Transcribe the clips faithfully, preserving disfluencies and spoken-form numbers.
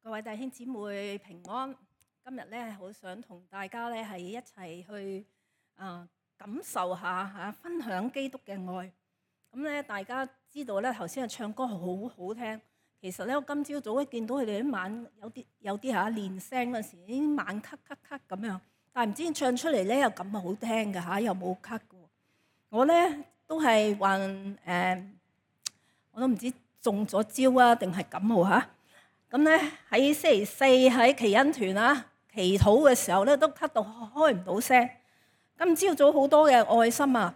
各位弟兄姊妹平安。今日咧，好想同大家咧係一齊去啊感受下嚇，分享基督嘅愛。咁咧，大家知道咧，頭先嘅唱歌好好聽。其實咧，我今朝早一見到佢哋啲晚有啲有啲嚇練聲嗰時，已經晚咳咳咳咁樣。但係唔知唱出嚟咧又咁好聽嘅嚇，又冇咳嘅。我咧都係患誒，我都唔知中咗招啊定係感冒嚇。咁咧喺星期四喺奇恩團啊祈禱嘅時候咧，都咳到開唔到聲。今朝早好多嘅愛心啊，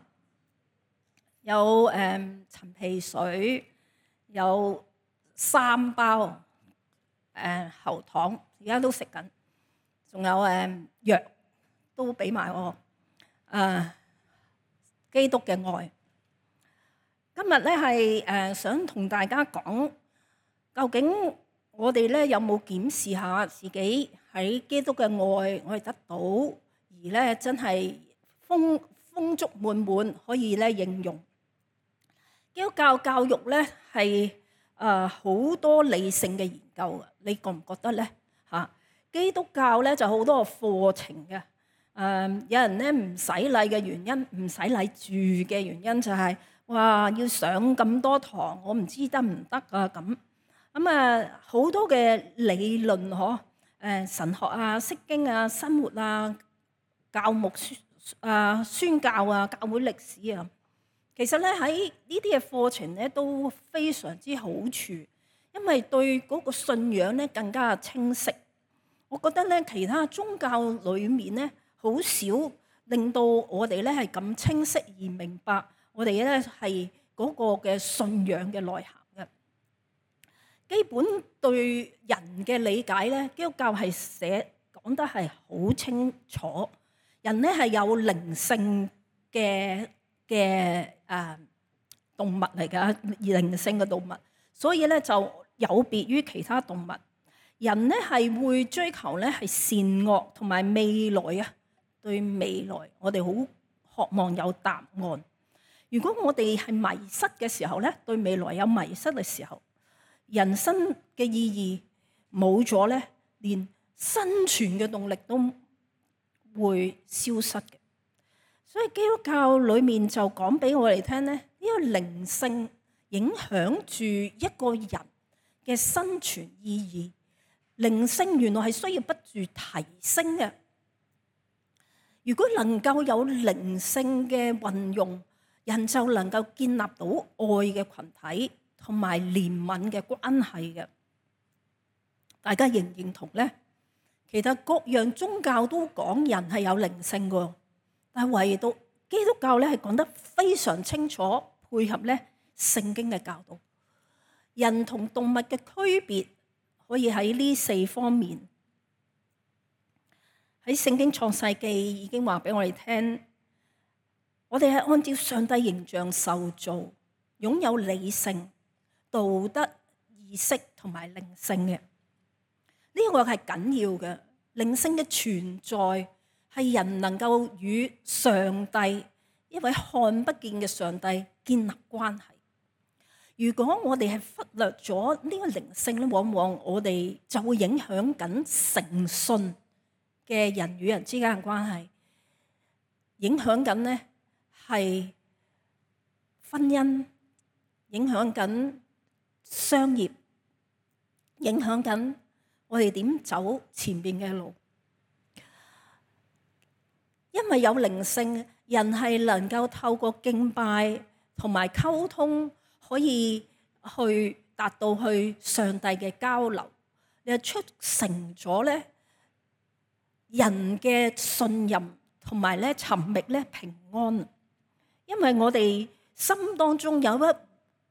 有誒、呃、陳皮水，有三包誒、呃、喉糖，而家都食緊，仲有誒、呃、藥都俾埋我。誒、呃、基督嘅愛，今日咧係誒想同大家講，究竟我哋咧有冇檢視下自己喺基督嘅愛，我哋得到而咧真係豐豐足滿滿，可以咧應用。基督教教育咧係誒好多理性嘅研究嘅，你覺唔覺得咧嚇？基督教咧就好多個課程嘅，誒、呃、有人咧唔洗禮嘅原因，唔洗禮住嘅原因就係、是、哇要上咁多堂，我唔知得唔得啊咁。咁啊，好多嘅理論嗬，誒神學啊、釋經啊、生活啊、教牧啊、宣教啊、教會歷史啊，其實咧喺呢啲嘅課程咧都非常之好處，因為對嗰個信仰咧更加清晰。我覺得咧其他宗教裏面咧好少令到我哋咧係咁清晰而明白我哋咧係嗰個嘅信仰嘅內涵。基本對人嘅理解咧，基督教係寫講得係好清楚。人咧係有靈性嘅嘅誒動物嚟㗎，靈性嘅動物，所以咧就有別於其他動物。人咧係會追求咧係善惡同埋未來啊，對未來我哋好渴望有答案。如果我哋係迷失嘅時候咧，對未來有迷失嘅時候，人生嘅意義冇咗咧，連生存嘅動力都會消失嘅。所以基督教裏面就講俾我哋聽咧，呢個靈性影響住一個人嘅生存意義。靈性原來係需要不住提升嘅。如果能夠有靈性嘅運用，人就能夠建立到愛嘅群體同埋憐憫嘅關係嘅。大家認唔認同咧？其實各樣宗教都講人係有靈性嘅，但係唯獨基督教咧係講得非常清楚，配合咧聖經嘅教導。人同動物嘅區別可以喺呢四方面。喺聖經創世記已經話俾我哋聽，我哋係按照上帝形象受造，擁有理性、道德、意識同埋靈性嘅，呢個係緊要嘅。靈性嘅存在係人能夠與上帝，一位看不見嘅上帝建立關係。如果我哋係忽略咗呢個靈性咧，往往我哋就會影響緊誠信嘅人與人之間嘅關係，影響緊呢係婚姻，影響緊商業，影響緊我哋點走前面嘅路。因為有靈性，人係能夠透過敬拜同埋溝通，可以去達到去上帝嘅交流，你係促成咗咧人嘅信任同埋咧尋覓咧平安。因為我哋心當中有一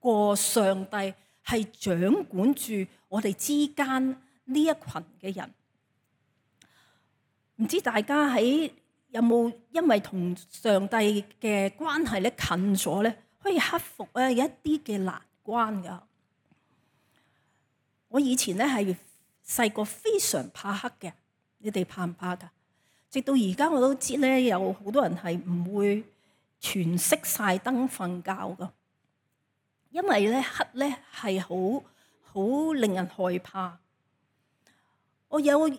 個上帝係掌管住我哋之間呢一群嘅人。唔知大家喺有冇因為同上帝嘅關係咧近咗咧，可以克服咧一啲嘅難關㗎。我以前咧係細個非常怕黑嘅，你哋怕唔怕㗎？直到而家我都知咧，有好多人係唔會全熄晒燈瞓覺㗎，因為咧黑咧係好好令人害怕。我有誒喺、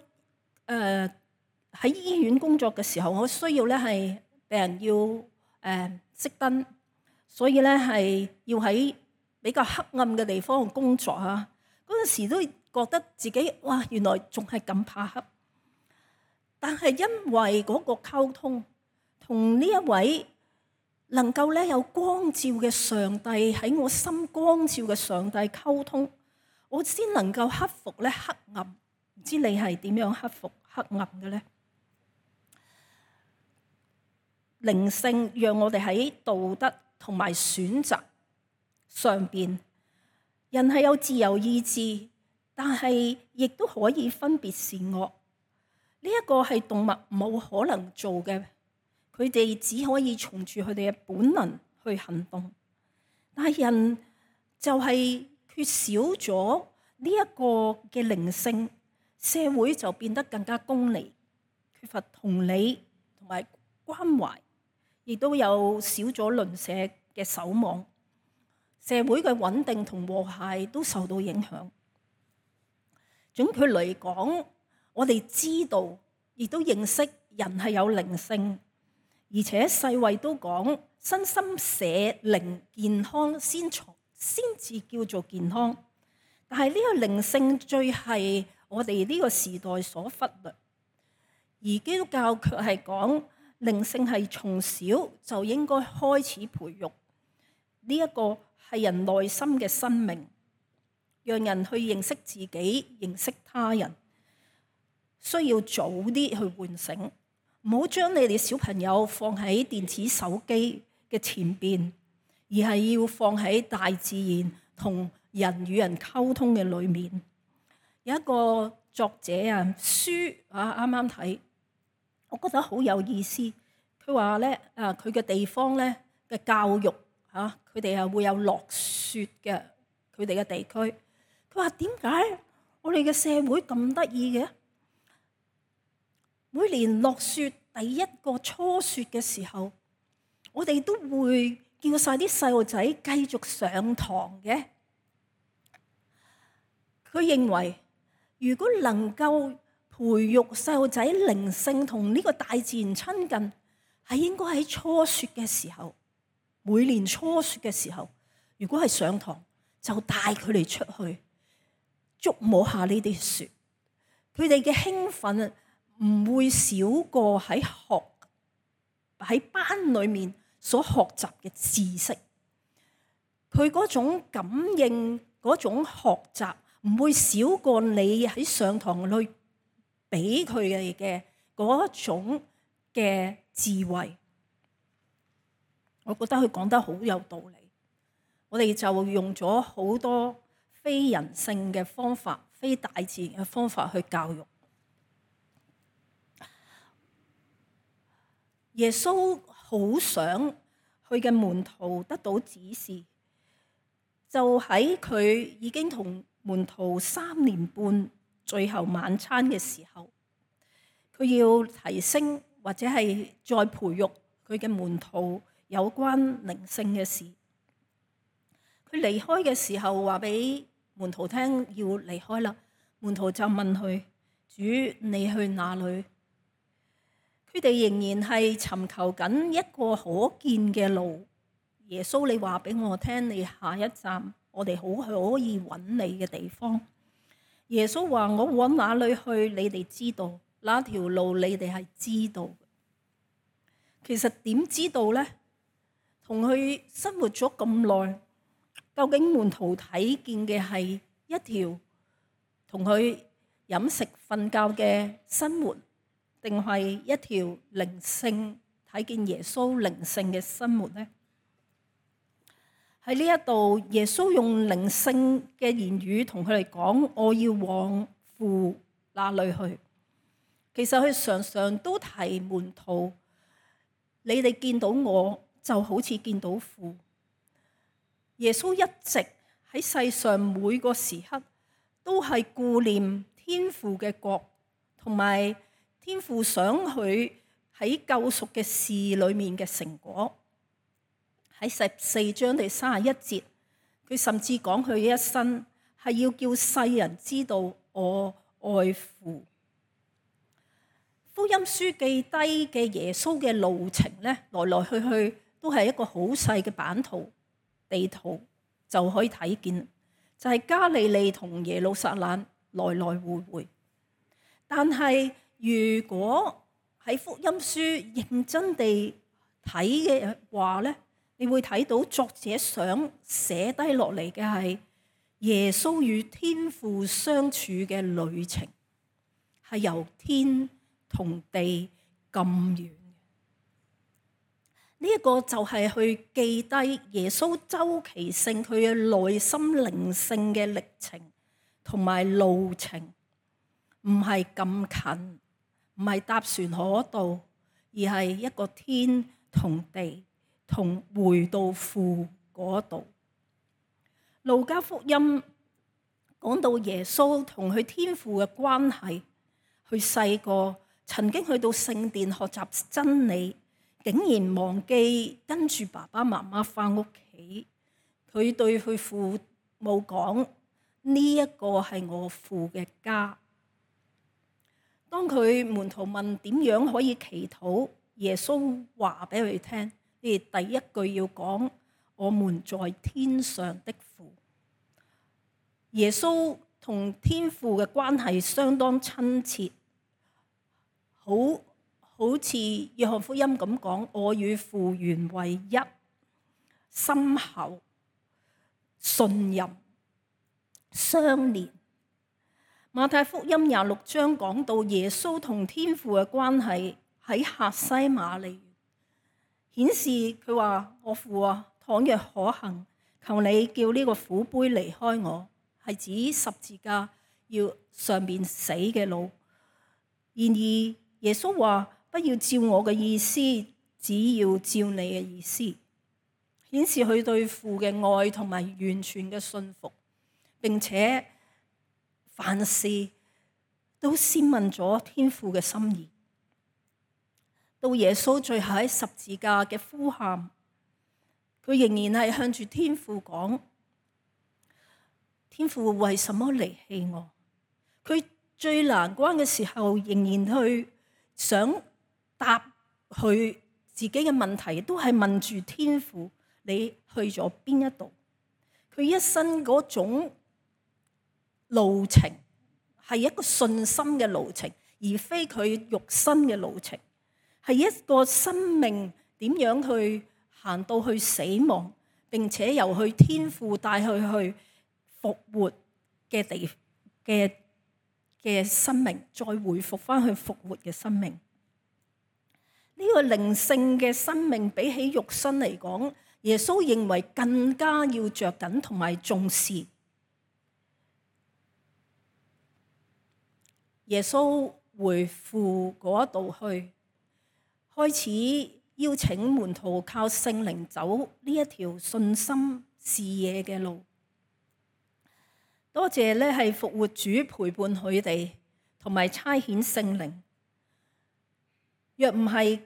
呃、醫院工作嘅時候，我需要咧係病人要誒熄燈，所以咧係要喺比較黑暗嘅地方工作啊。嗰陣時都覺得自己哇，原來仲係咁怕黑。但係因為嗰個溝通，同呢一位能夠咧有光照嘅上帝喺我心光照嘅上帝溝通，我先能夠克服咧黑暗。唔知你係點樣克服黑暗嘅咧？靈性讓我哋喺道德同埋選擇上邊，人係有自由意志，但係亦都可以分別善惡。呢一個係動物冇可能做嘅，佢哋只可以從住佢哋嘅本能去行動。但係人就係缺少咗呢一個嘅靈性，社會就變得更加功利，缺乏同理同埋關懷，亦都有少咗鄰舍嘅守望，社會嘅穩定同和諧都受到影響。總括嚟講，我哋知道，亦都認識人係有靈性，而且世衛都講身心社靈健康先才先至叫做健康。但係呢個靈性最係我哋呢個時代所忽略，而基督教卻係講靈性係從小就應該開始培育。呢一個係人內心嘅生命，讓人去認識自己、認識他人。需要早啲去喚醒，唔好將你哋小朋友放喺電子手機嘅前邊，而係要放喺大自然同人與人溝通嘅裏面。有一個作者啊，書啊啱啱睇，我覺得好有意思。佢話咧啊，佢嘅地方咧嘅教育嚇，佢哋係會有落雪嘅，佢哋嘅地區。佢話點解我哋嘅社會咁得意嘅？每年落雪第一個初雪嘅時候，我哋都會叫晒啲細路仔繼續上堂嘅。佢認為，如果能夠培育細路仔靈性同呢個大自然親近，係應該喺初雪嘅時候，每年初雪嘅時候，如果係上堂，就帶佢哋出去觸摸下呢啲雪，佢哋嘅興奮唔會少過喺學喺班裏面所學習嘅知識。佢嗰種感應，嗰種學習唔會少過你喺上堂裏俾佢哋嘅嗰種嘅智慧。我覺得佢講得好有道理。我哋就用咗好多非人性嘅方法、非大自然嘅方法去教育。耶穌好想佢嘅門徒得到指示，就喺佢已經同門徒三年半最後晚餐嘅時候，佢要提升或者係再培育佢嘅門徒有關靈性嘅事。佢離開嘅時候話俾門徒聽要離開啦，門徒就問佢：主，你去哪裏？佢哋仍然係尋求緊一個可見嘅路。耶穌，你話俾我聽，你下一站我哋好可以揾你嘅地方。耶穌話：我往哪裏去，你哋知道，那條路你哋係知道。其實點知道呢？同佢生活咗咁耐，究竟門徒睇見嘅係一條同佢飲食瞓覺嘅生活，定係一條靈性睇見耶穌靈性嘅生活呢？喺呢一度，耶穌用靈性嘅言語同佢哋講：我要往父那裏去。其實佢常常都提門徒：你哋見到我就好似見到父。耶穌一直喺世上每個時刻都係顧念天父嘅國，同埋天父想佢喺救贖嘅事裏面嘅成果。喺十四章第三十一節，佢甚至講佢一生係要叫世人知道我愛父。福音書記低嘅耶穌嘅路程咧，來來去去都係一個好細嘅版圖地圖就可以睇見，就係、是、加利利同耶路撒冷來來回回。但係如果喺福音書認真地睇嘅話咧，你會睇到作者想寫低落嚟嘅係耶穌與天父相處嘅旅程，係由天同地咁遠。呢、這、一個就係去記低耶穌周期性佢嘅內心靈性嘅歷程同埋路程，唔係咁近，唔係搭船可到，而係一個天同地同回到父嗰度。路加福音講到耶穌同佢天父嘅關係，佢細個曾經去到聖殿學習真理，竟然忘記跟住爸爸媽媽返屋企。佢對佢父母講：呢一個係我父嘅家。當佢門徒問點樣可以祈禱，耶穌話俾佢哋聽：你哋第一句要講我們在天上的父。耶穌同天父嘅關係相當親切，好好似約翰福音咁講：我與父原為一，深厚、信任、相連。馬太福音廿六章講到耶穌同天父嘅關係喺客西馬尼園，顯示佢話：我父啊，倘若可行，求你叫呢個苦杯離開我，係指十字架要上面死嘅路。然而耶穌話：不要照我嘅意思，只要照你嘅意思，顯示佢對父嘅愛同埋完全嘅信服，並且凡事都先問咗天父嘅心意。到耶穌最後喺十字架嘅呼喊，佢仍然係向住天父講：天父為什麼離棄我？佢最難關嘅時候，仍然去想答佢自己嘅問題，都係問住天父：你去咗邊一度？佢一生嗰種路程係一個信心嘅路程，而非佢肉身嘅路程，係一個生命點樣去行到去死亡，並且由去天父帶佢去復活嘅地嘅嘅生命，再回復翻去復活嘅生命。呢、這個靈性嘅生命比起肉身嚟講，耶穌認為更加要着緊同埋重視。耶穌回父嗰度去，開始邀請門徒靠聖靈走呢一條信心視野嘅路。多謝咧，係復活主陪伴佢哋，同埋差遣聖靈。若唔係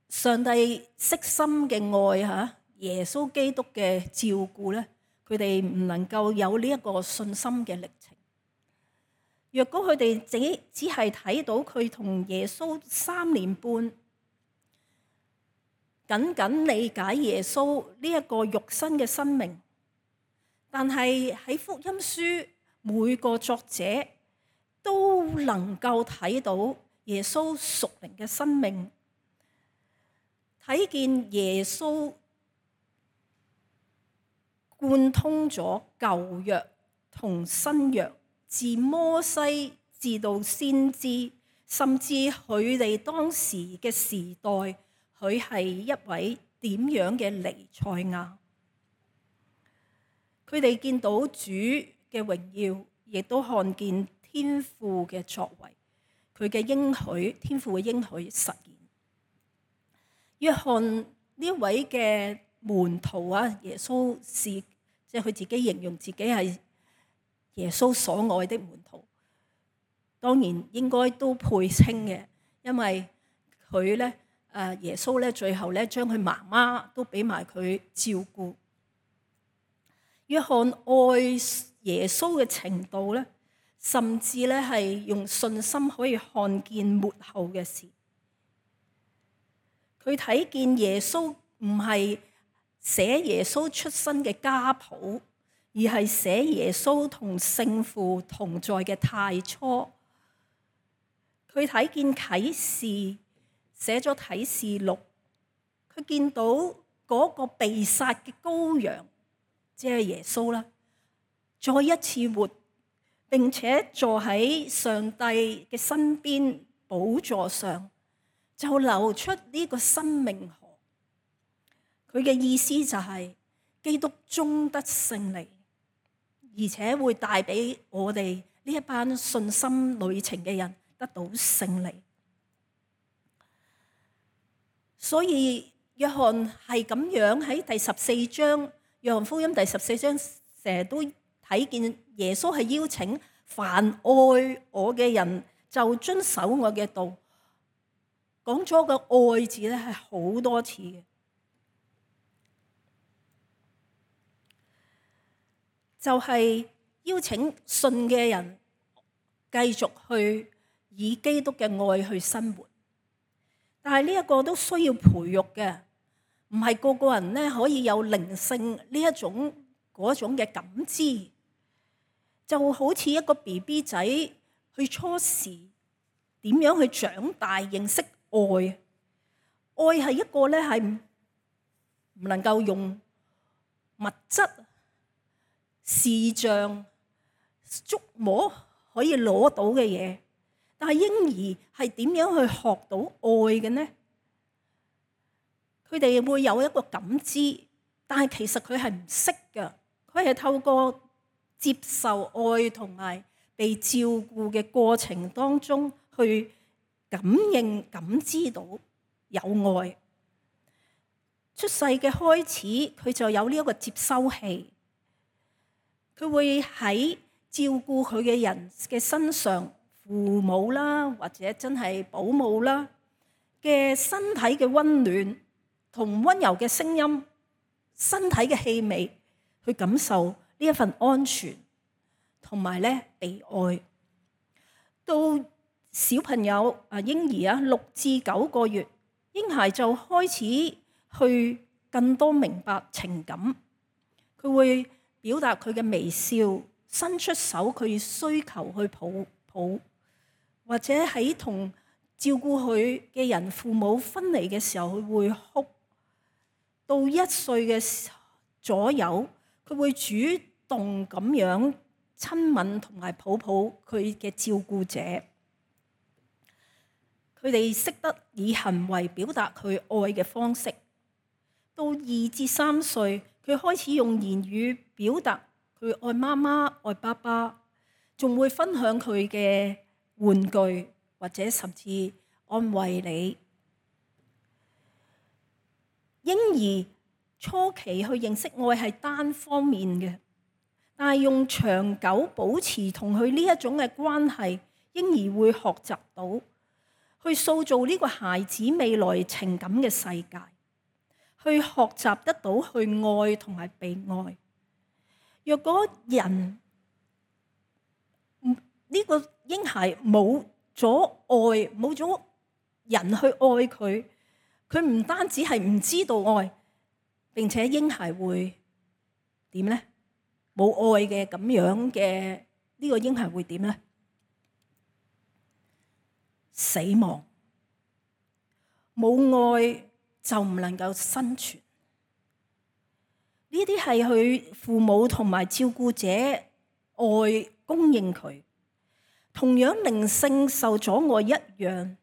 上帝悉心嘅愛嚇，耶穌基督嘅照顧咧，佢哋唔能夠有呢一個信心嘅歷程。若果佢哋只只係睇到佢同耶穌三年半，僅僅理解耶穌呢一個肉身嘅生命，但係喺福音書每個作者都能夠睇到耶穌屬靈嘅生命，睇見耶穌貫通咗舊約同新約，自摩西至到先知，甚至佢哋當時嘅時代，佢係一位點樣嘅彌賽亞。佢哋見到主嘅榮耀，亦都看見天父嘅作為，佢嘅應許，天父嘅應許實現。約翰呢位嘅門徒啊，耶穌是即係佢自己形容自己係耶穌所愛的門徒，當然應該都配稱嘅，因為佢咧誒耶穌咧最後咧將佢媽媽都俾埋佢照顧。約翰愛耶穌嘅程度咧，甚至咧係用信心可以看見末後嘅事。佢睇見耶穌唔係寫耶穌出生嘅家譜，而係寫耶穌同聖父同在嘅太初。佢睇見啟示，寫咗啟示錄，佢見到嗰個被殺嘅羔羊，即係耶穌啦，再一次活，並且坐喺上帝嘅身邊寶座上，就流出呢個生命河。佢嘅意思就係基督終得勝利，而且會帶俾我哋呢一班信心旅程嘅人得到勝利。所以約翰係咁樣喺第十四章，約翰福音第十四章成日都睇見耶穌係邀請凡愛我嘅人就遵守我嘅道，講咗個愛字咧係好多次嘅，就係邀請信嘅人繼續去以基督嘅愛去生活。但係呢一個都需要培育嘅，唔係個個人咧可以有靈性呢一種嗰種嘅感知，就好似一個 B B 仔去初時點樣去長大認識愛。愛係一個咧係唔能夠用物質、視像、觸摸可以攞到嘅嘢。但係嬰兒係點樣去學到愛嘅呢？佢哋會有一個感知，但係其實佢係唔識㗎。佢係透過接受愛同埋被照顧嘅過程當中去感應、感知到有愛。出世嘅開始，佢就有呢一個接收器，佢會喺照顧佢嘅人嘅身上。父母啦，或者真係保姆啦嘅身體嘅溫暖同溫柔嘅聲音，身體嘅氣味，去感受呢一份安全同埋咧被愛。到小朋友啊嬰兒啊六至九個月，嬰孩就開始去更多明白情感，佢會表達佢嘅微笑，伸出手佢需求去抱抱。或者喺同照顧佢嘅人父母分離嘅時候，佢會哭。到一歲嘅左右，佢會主動咁樣親吻同埋抱抱佢嘅照顧者。佢哋識得以行為表達佢愛嘅方式。到二至三歲，佢開始用言語表達佢愛媽媽、愛爸爸，仲會分享佢嘅玩具，或者甚至安慰你。嬰兒初期去認識愛係單方面嘅，但係用長久保持同佢呢一種嘅關係，嬰兒會學習到去塑造呢個孩子未來情感嘅世界，去學習得到去愛同埋被愛。若果人呢個嬰孩冇咗愛，冇咗人去愛佢，佢唔單止係唔知道愛，並且嬰孩會點呢？冇愛嘅咁樣嘅呢個嬰孩會點呢？死亡。冇愛就唔能夠生存。呢啲係佢父母同埋照顧者愛供應佢。同樣靈性受阻礙一樣，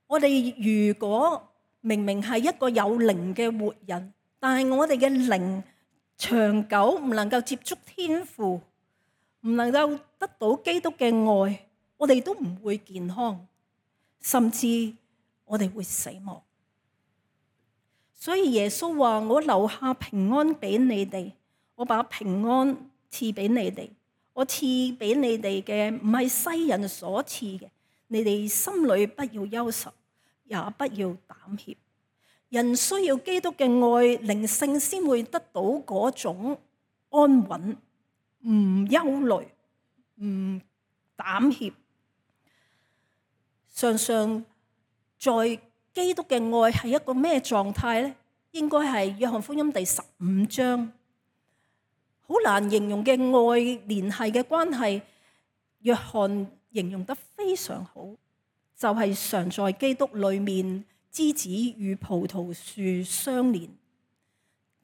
我哋如果明明係一個有靈嘅活人，但係我哋嘅靈長久唔能夠接觸天父，唔能夠得到基督嘅愛，我哋都唔會健康，甚至我哋會死亡。所以耶穌話：我留下平安俾你哋，我把平安賜俾你哋。我賜俾你哋嘅唔係世人所賜嘅，你哋心裏不要憂愁，也不要膽怯。人需要基督嘅愛，靈性先會得到嗰種安穩，唔憂慮，唔膽怯。常常在基督嘅愛係一個咩狀態呢？應該係約翰福音第十五章，好難形容嘅愛聯繫嘅關係。約翰形容得非常好，就係、是、常在基督裏面，枝子與葡萄樹相連，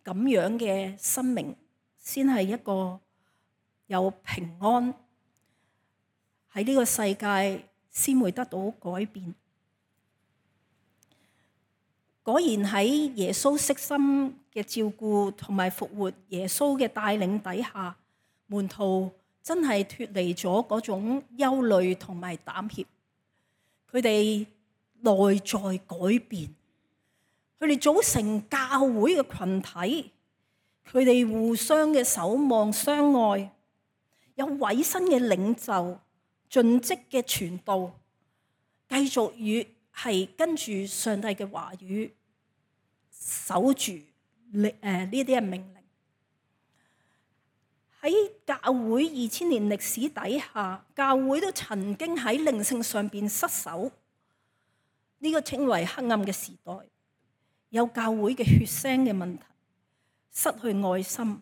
咁樣嘅生命先係一個有平安，喺呢個世界先會得到改變。果然喺耶穌悉心嘅照顧同埋復活耶穌嘅帶領底下，門徒真係脫離咗嗰種憂慮同埋膽怯，佢哋內在改變，佢哋組成教會嘅群體，佢哋互相嘅守望相愛，有委身嘅領袖，盡職嘅傳道，繼續與係跟住上帝嘅話語，守住誒呢啲嘅命令。喺教會二千年歷史底下，教會都曾經喺靈性上邊失守，呢、這個稱為黑暗嘅時代，有教會嘅血腥嘅問題，失去愛心。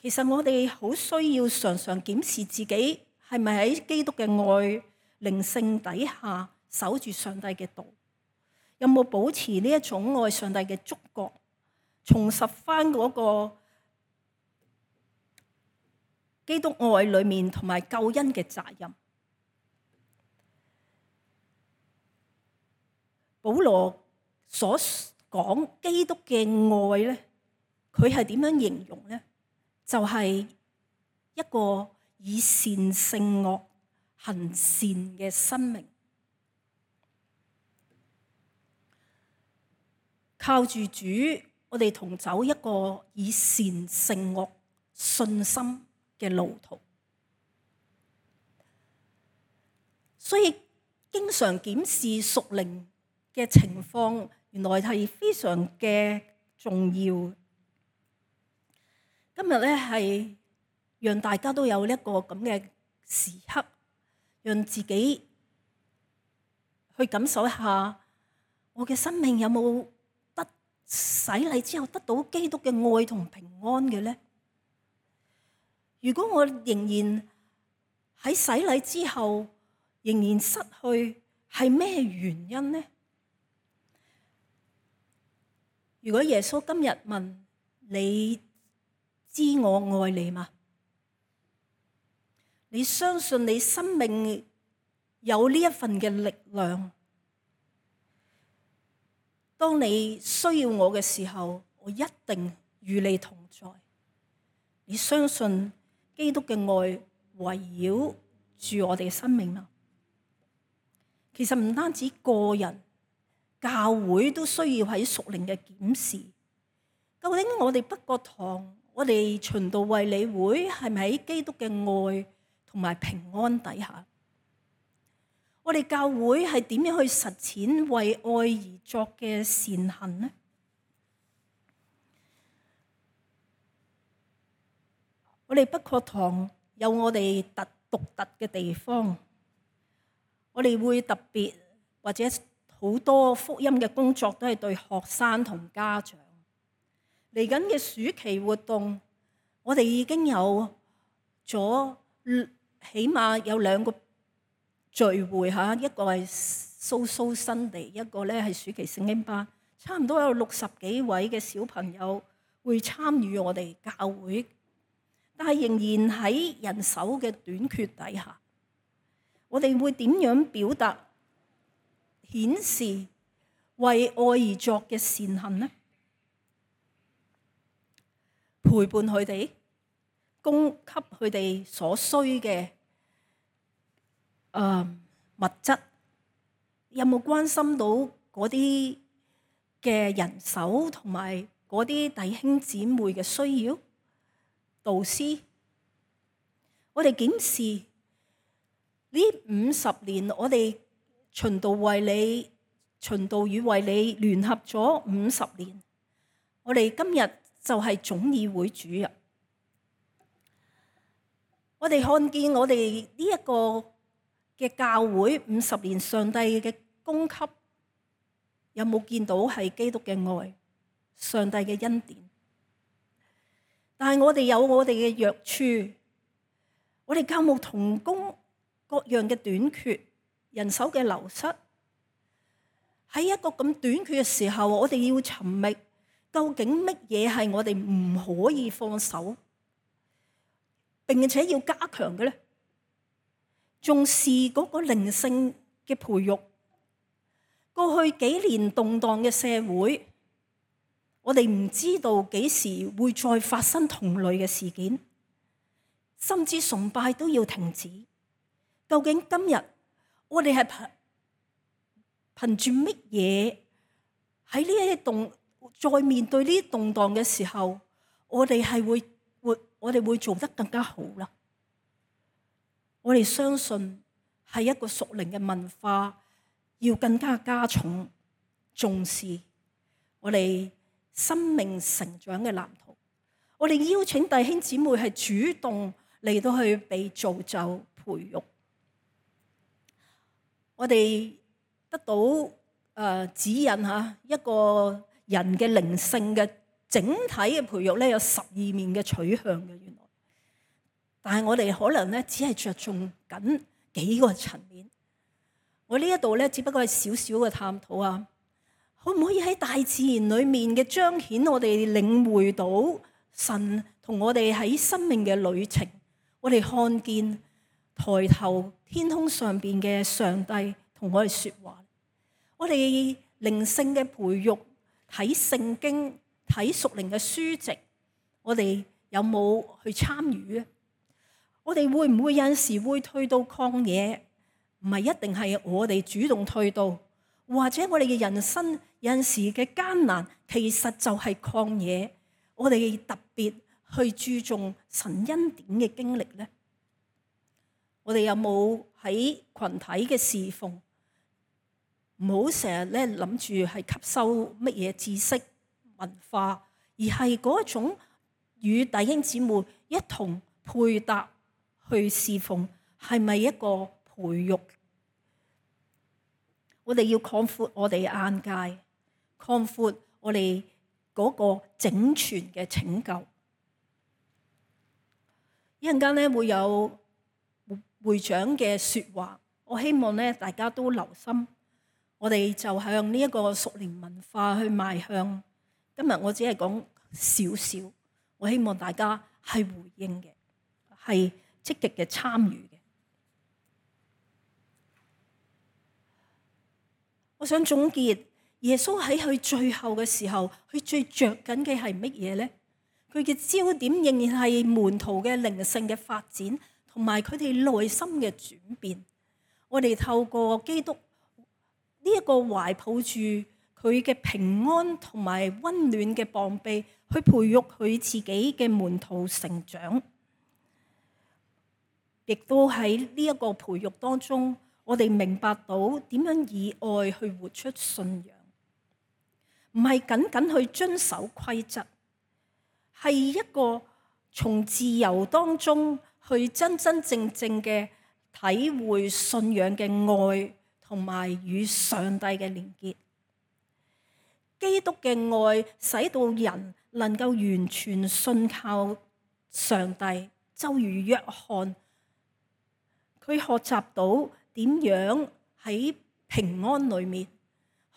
其實我哋好需要常常檢視自己係咪喺基督嘅愛靈性底下守住上帝嘅道，有冇保持呢一種愛上帝嘅觸覺，重拾翻嗰個基督愛裏面同埋救恩嘅責任。保羅所講基督嘅愛咧，佢係點樣形容咧？就係、是、一個以善勝惡、行善嘅生命，靠住主，我哋同走一個以善勝惡、信心嘅路途。所以經常檢視屬靈嘅情況，原來係非常嘅重要。今日咧係讓大家都有一個咁嘅時刻，讓自己去感受一下，我嘅生命有冇得洗禮之後得到基督嘅愛同平安嘅咧？如果我仍然喺洗禮之後仍然失去，係咩原因呢？如果耶穌今日問你，知我愛你嗎？你相信你生命有呢一份嘅力量？當你需要我嘅時候，我一定與你同在。你相信基督嘅愛圍繞住我哋嘅生命嗎？其實唔單止個人，教會都需要喺屬靈嘅檢視。究竟我哋北角堂，我哋循道衛理會係咪喺基督嘅愛同埋平安底下？我哋教會係點樣去實踐為愛而作嘅善行呢？我哋北角堂有我哋特獨特嘅地方，我哋會特別或者好多福音嘅工作都係對學生同家長。嚟緊嘅暑期活動，我哋已經有咗起碼有兩個聚會嚇，一個係 Soul Sunday，一個咧係暑期聖經班，差唔多有六十幾位嘅小朋友會參與我哋教會，但係仍然喺人手嘅短缺底下，我哋會點樣表達、顯示為愛而作嘅善行呢？陪伴佢哋，供給佢哋所需嘅誒物質，有冇關心到嗰啲嘅人手同埋嗰啲弟兄姊妹嘅需要？導師，我哋檢視呢五十年，我哋循道衛理、循道與衛理聯合咗五十年，我哋今日就係總議會主任。我哋看見我哋呢一個嘅教會五十年上帝嘅供給，有冇見到係基督嘅愛、上帝嘅恩典？但係我哋有我哋嘅弱處，我哋教牧同工各樣嘅短缺，人手嘅流失。喺一個咁短缺嘅時候，我哋要尋覓究竟乜嘢係我哋唔可以放手，並且要加強嘅咧？重視嗰個靈性嘅培育。過去幾年動盪嘅社會，我哋唔知道幾時會再發生同類嘅事件，甚至崇拜都要停止。究竟今日我哋係憑憑住乜嘢喺呢一啲動，再面對呢啲動盪嘅時候，我哋係會會我哋會做得更加好啦？我哋相信係一個屬靈嘅文化，要更加加重重視我哋生命成長嘅藍圖。我哋邀請弟兄姊妹係主動嚟到去被造就培育。我哋得到誒、呃、指引嚇，一個人嘅靈性嘅整體嘅培育咧，有十二面嘅取向嘅原來。但係我哋可能咧只係着重緊幾個層面。我呢一度咧只不過係少少嘅探討啊，可唔可以喺大自然裏面嘅彰顯我哋領會到神同我哋喺生命嘅旅程？我哋看見抬頭天空上邊嘅上帝同我哋說話。我哋靈性嘅培育，睇聖經、睇屬靈嘅書籍，我哋有冇去參與咧？我哋會唔會有陣時會退到曠野？唔係一定係我哋主動退到，或者我哋嘅人生有陣時嘅艱難，其實就係曠野。我哋特別去注重神恩典嘅經歷咧。我哋有冇喺群體嘅侍奉？唔好成日咧諗住係吸收乜嘢知識文化，而係嗰種與弟兄姊妹一同配搭去侍奉，係咪一個培育？我哋要擴闊我哋眼界，擴闊我哋嗰個整全嘅拯救。一陣間咧會有會長嘅說話，我希望咧大家都留心。我哋就向呢一個屬靈文化去邁向。今日我只係講少少，我希望大家係回應嘅，係積極嘅參與嘅。我想總結，耶穌喺佢最後嘅時候，佢最着緊嘅係乜嘢咧？佢嘅焦點仍然係門徒嘅靈性嘅發展，同埋佢哋內心嘅轉變。我哋透過基督呢一個懷抱住佢嘅平安同埋溫暖嘅膀臂，去培育佢自己嘅門徒成長，亦都喺呢一個培育當中，我哋明白到點樣以愛去活出信仰，唔係僅僅去遵守規則，係一個從自由當中去真真正正嘅體會信仰嘅愛，同埋與上帝嘅連結。基督嘅愛使到人能夠完全信靠上帝，就如約翰，佢學習到點樣喺平安裏面，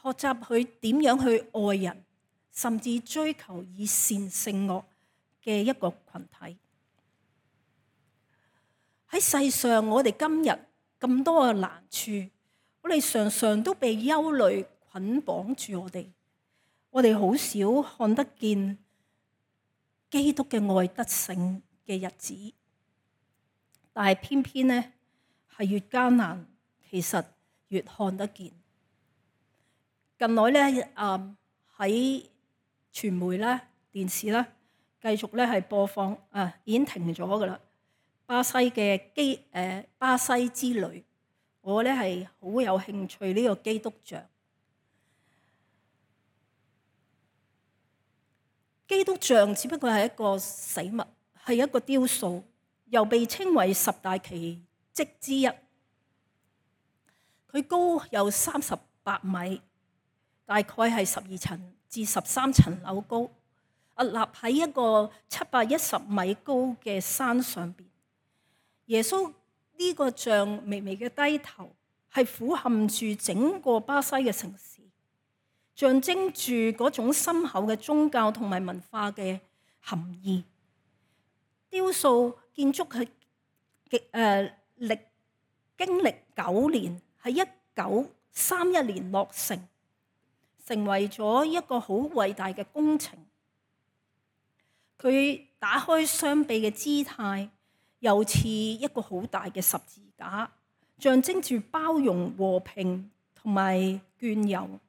學習佢點樣去愛人，甚至追求以善勝惡嘅一個群體。喺世上，我哋今日咁多嘅難處，我哋常常都被憂慮捆綁住我哋，我哋好少看得見基督嘅愛得勝嘅日子，但係偏偏呢，係越艱難，其實越看得見。近來咧，誒喺傳媒咧、電視咧，繼續咧係播放，啊已經停咗噶啦。巴西嘅基誒、呃、巴西之旅，我咧係好有興趣呢個基督像。基督像只不過係一個死物，係一個雕塑，又被稱為十大奇蹟之一。佢高有三十八米，大概係十二層至十三層樓高，屹立喺一個七百一十米高嘅山上邊。耶穌呢個像微微嘅低頭，係俯瞰住整個巴西嘅城市，象徵住嗰種深厚嘅宗教同埋文化嘅含義。雕塑建築係極誒歷經歷九年，喺一九三一年落成，成為咗一個好偉大嘅工程。佢打開雙臂嘅姿態，又似一個好大嘅十字架，象徵住包容、和平同埋眷佑。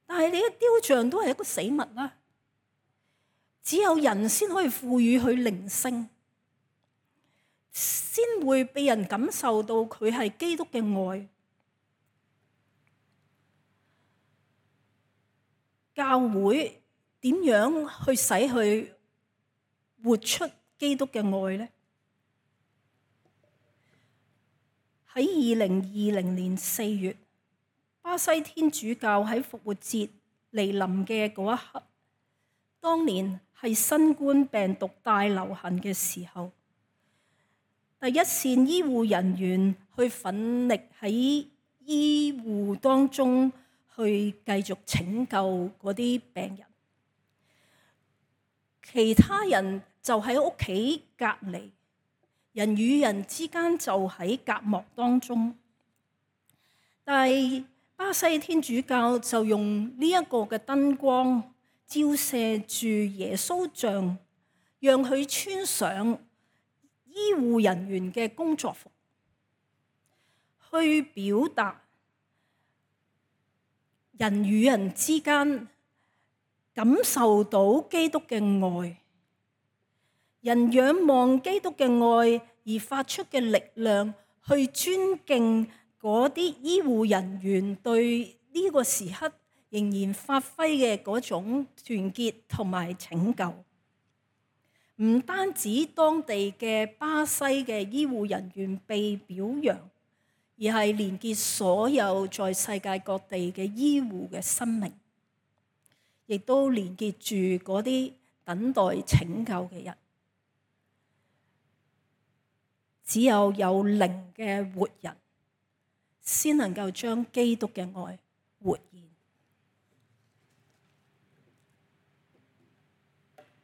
但係你嘅雕像都係一個死物啦，只有人先可以賦予佢靈性，先會被人感受到佢係基督嘅愛。教會點樣去使佢活出基督嘅愛呢？喺二零二零年四月，巴西天主教喺復活節嚟臨嘅嗰一刻，當年係新冠病毒大流行嘅時候，第一線醫護人員去奮力喺醫護當中去繼續拯救嗰啲病人，其他人就喺屋企隔離，人與人之間就喺隔膜當中。但係巴西天主教就用呢一個嘅燈光照射住耶穌像，讓佢穿上醫護人員嘅工作服，去表達人與人之間感受到基督嘅愛，人仰望基督嘅愛而發出嘅力量，去尊敬嗰啲醫護人員對呢個時刻仍然發揮嘅嗰種團結同埋拯救。唔單止當地嘅巴西嘅醫護人員被表揚，而係連結所有在世界各地嘅醫護嘅生命，亦都連結住嗰啲等待拯救嘅人。只有有靈嘅活人，先能夠將基督嘅愛活現。